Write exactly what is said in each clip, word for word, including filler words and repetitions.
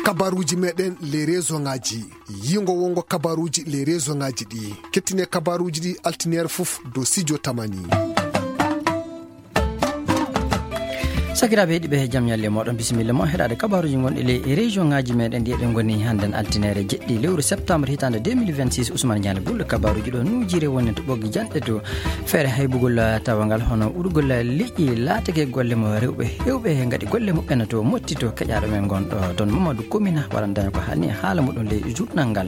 Kabaruuji meɗen les région ngaji. Yingo wongo kabaruuji les région ngaji ɗi. Kettine kabaruuji ɗi altineere fof dow studio Tamani. Sakiraaɓe heɗiiɓe, jam ñalle mooɗon, bisimilla mon heɗaade kabaruuji gonɗi les région ngaji meɗen ɗi eɗen ngoni hannden altineere jeɗɗi lewru septembre hitaande deux mille vingt-six. Ousmane Diallo Gullo kabaruuji ɗo nujire woni to ɓoggi janɗe to feere haybugol tawangal hono urgol liƴƴi laatake golle mo rewɓe hewɓe ngaɗi golle muɓɓen to motti to keƴaaɗo men gonɗo toon Mamadou Komina waɗandana ko hanni haala muɗum ley journal ngal.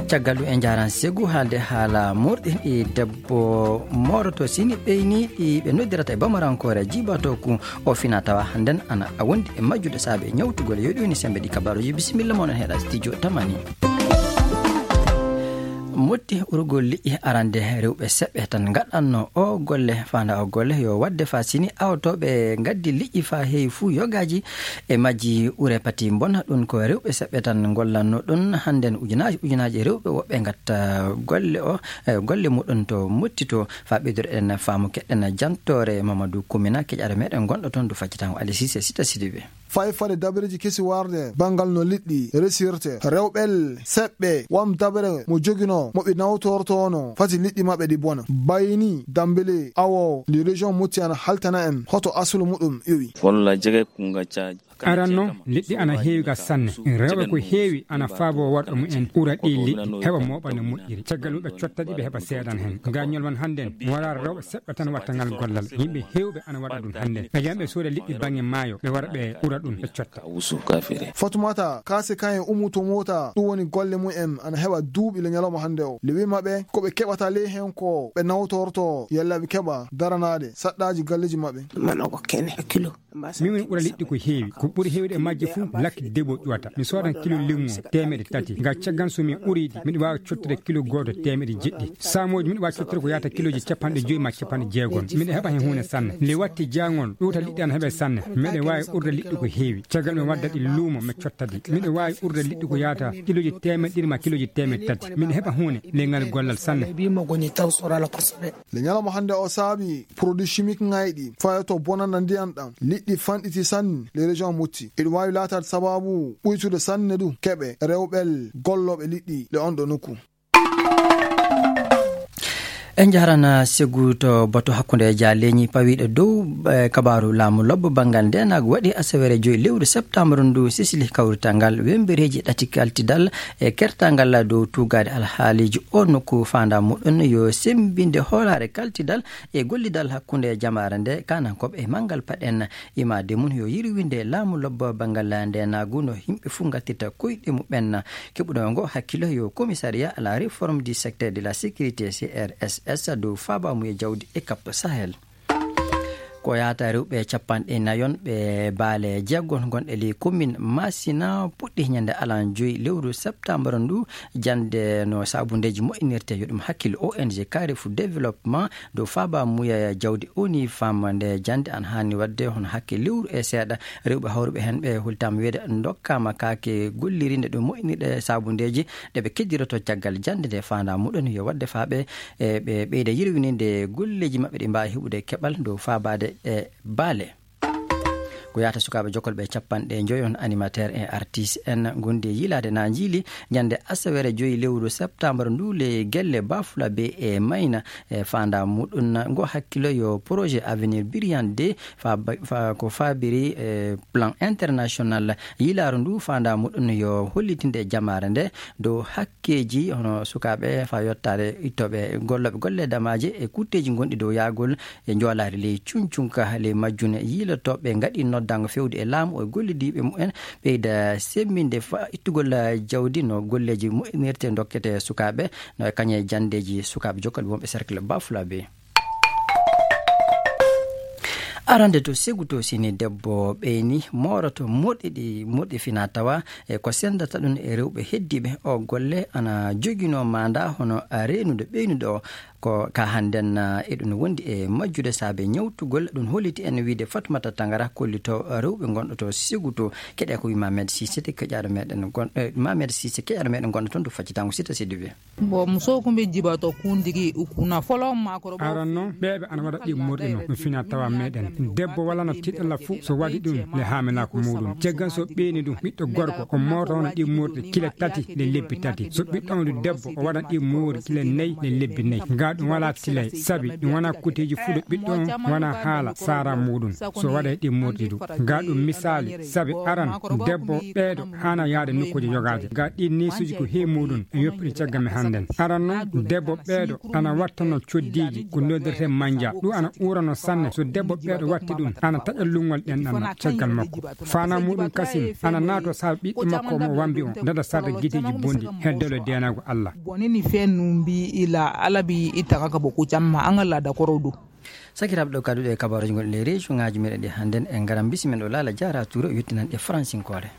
Caggal ɗum en njaran segu haalde haala morɗi ɗi debbo mooroto sini ɓeyni ɗi ɓe noddirata e bamarankoore jibato ku o fina tawa hannden ana wondi e majjude saabe ñawtugol yo ɗum ni sembe ɗi kabaruuji bisimilla mon en heɗa studio Tamani. Motti urgol liƴƴi arande rewɓe seɓɓe tan ngaɗanno o golle fanda o golle yo wadde fa sini awtoɓe gaddi liƴƴi fa heewi fuu yogaaji e majji ure pati mbona ɗum ko rewɓe seɓɓe tan gollanno ɗum hannden ujunaaji ujunaaji rewɓe woɓɓe ngatta golle o e golle muɗum to motti to fa ɓeyduɗen faamu keɗɗen jantoore Mamadou Kumina keƴaɗo meɗen gonɗo toon du faccitango Alisis e Sita Sidibe. Fay fade dabareeji kesi warde banngal no liɗɗi resirte rewɓel seɓɓe wam dabare mo joginoo mo ɓe nawtortoono fati liɗɗi maɓɓe ɗi bona bayni dambele awo ndi région mutti ana haltana en hoto asulu muɗum iwi. Walla jege kunga caaji. Aran noon liɗɗi ana heewi ga sanne. Rewɓe ko heewi ana faabo worɓe mumen ura ɗi liɗɗi heɓa mooɓa no moƴƴiri caggal muɓe cotta ɗi ɓe heɓa seedan heen. Gañol man hannden wara rewɓe seɓɓe tan watta ngal gollal yimɓe heewɓe ana waɗa ɗum hannden ɓe jam ɓe sooda liɗɗi baŋnge maayo ɓe wara ɓe ura ɗum ɓe cotta. Fatumata kaase kan e umuto mota ɗum woni golle mum en ana heɓa duuɓi le ñalawma hannde o le wima ɓe ko ɓe keɓata ley heen ko ɓe nawtorto yalla ɓe keɓa daranaade saɗɗaaji galleeji maɓɓe. Manogo kene kilo. Min woni ɓura liɗɗi ko heewi ko ɓuri heewde e majje fof lakki debo ƴuwata mi soodan kilo limmo teemeɗe tati ngam caggan so mi ɓuriɗi miɗo waawi cottude kilo gooto teemeɗe jeɗɗi saamooji miɗo waawi cottude ko yahata kilooji capanɗe joyi ma capanɗe jeegom miɗo heɓa heen huunde sanne nde watti jaangol ɗuuta liɗɗi ana heɓe sanne miɗo waawi urde liɗɗi ko heewi caggal mi wadda ɗi luumo mi cotta ɗi miɗo waawi urde liɗɗi ko yahata kilooji teemeɗe ɗiɗi ma kilooji teemeɗe tati miɗo heɓa huunde ley ngal gollal sanne. Le ñalawma hannde o saabi produit chimique ŋayɗi fayoto bonanda ndiyan ɗan liɗɗi fanɗiti sanne le région mutti eɗum waawi laataade sababu ɓuytude sanne du keɓe rewɓel gollooɓe liɗɗi le on ɗo nokku. En njahrana segu to bato hakkunde ja leñi pawiiɗo dow e kabaaru laamu lobbo banngal ndeenaagu waɗi asawere joyi lewru septembre ndu sisili kawrital ngal wembereeji ɗati kaltidal e kertangal dow tuugaade alhaaliiji o nokku faandaa muɗum yo semmbinde hoolaare kaltidal e gollidal hakkunde jamaare nde kaanankooɓe e manngal paɗen imaade mum yo yirwinde laamu lobbo banngal ndeenaagu no yimɓe fof ngattirta koyɗe muɓɓen keɓuɗo ngo hakkilo yo commissariat à la réforme du secteur de la sécurité crss dow faabaamu e jawdi e cap sahel. Ko yahata rewɓe capanɗe nayon ɓe baale jeegom gonɗe ley commune masina puɗɗi ñande alan joyi lewru septembre ndu jande no sabundeeji moƴƴinirte yo ɗum hakkille ong carrefour développement dow faaba muya jawdi oni fam nde jande an hani wadde hono hakke lewru e seeɗa rewɓe hawruɓe hen ɓe hultama weede dokkama kaake gollirinde ɗum moƴƴinirɗe sabundeeji ɗe ɓe keddiroto caggal jande nde fanda muɗon yo wadde faaɓe e ɓe ɓeyda yirwininde golleeji maɓɓe ɗi mbaawi heɓude keɓal dow faabaade e baale. Ko yahata sukaaɓe jokolɓe capanɗe joyi on animateur e artiste en gondi e yiilaade na njiili ñande asawere joyi lewru septembre ndu le gelle bafula be e mayna e fanda muɗum ngo hakkilo yo projet avenir brillant de fa ko fabiri e plan international yiilaaru ndu fanda muɗum yo hollitinde e jamaare nde dow hakkeeji hono sukaaɓe fa yottaade ittooɓe gollooɓe golle damaaje e kutteeji gonɗi dow yaagol e njoolaari ley cuncunka ley majjune yiilotooɓe ngaɗi noddango fewde e laamu e gollidiiɓe mumen ɓeyda semminde fa ittugol jawdi no golleeji moƴƴinirte dokkete sukaaɓe no e kañe janndeeji sukaaɓe jokkalɓe wonɓe cercle bafulabe. Arande to segu to sini debbo ɓeyni mooroto moɗɗi ɗi moɗɗi fina tawa e ko sendata ɗum e rewɓe heddiiɓe o golle ana joginoo maanda hono reenude ɓeynude o Ko ka hannden, ah, eɗum wondi e majjude saabe ñawtugol. Ɗum holliti en wiyde Fatmata Tangara kollito rewɓe ngonɗo to Sigu to. Keɗe ko wi Mamed Sise, keƴaaɗo meɗen gon-, eh, Mamed Sise, keƴaaɗo meɗen gonɗo toon to Faccitango Sita Sidibe. Bon, muso kun bɛ jibatɔ kun digi u kunna fɔlɔ maakɔrɔbaw. Aran noon, ɓeeɓe ana waɗa ɗi morɗi no, no fina tawa meɗen. Debbo wala no tiɗalla fuu so waɗi ɗum le haamilaaku muɗum. Caggal so ɓeeni ɗum, ɓiɗɗo gorko, o moota hono ɗi morɗi kile tati le lebbi tati. So ɓiɗɗo on debbo, o waɗan ɗi moori kile nayi le lebbi nayi. Ga ɗum wala tilay, sabi ɗum wona kuteeji fuu ɗo ɓiɗɗo on wona haala saara muɗum. So waɗay ɗi morɗi ɗum. Ga ɗum misaali, sabi aran, debbo ɓeeɗo haana yaade nokkuuji yogaaji. Ga ɗi neesuuji ko he muɗum, e yoppude caggal men hannden. Aran noon, debbo ɓeeɗo ana wattano coddiiji ko noddirte manja. Ɗum ana uurano sanne. So debbo ɓeeɗo watti ɗum, ana taƴa lunngol ɗen ɗan caggal makko. Faana muɗum kasim ana naato saabe ɓiɗɗo makko mo wambi on, dada sarde giteeji bonɗi, heddolo deenaago Allah. Boni ni fɛn ninnu bi i la, Ala bi i taga ka bɔ ko caman, an ka laada kɔrɔw don. Sakiraaɓe, ɗo kadduɗe e kabaaruuji gonɗi e ley région ŋaaji meɗen ɗi hannden, en ngaran bisimen ɗo Laala Jaara Tuure o yettinan ɗe faransinkoore.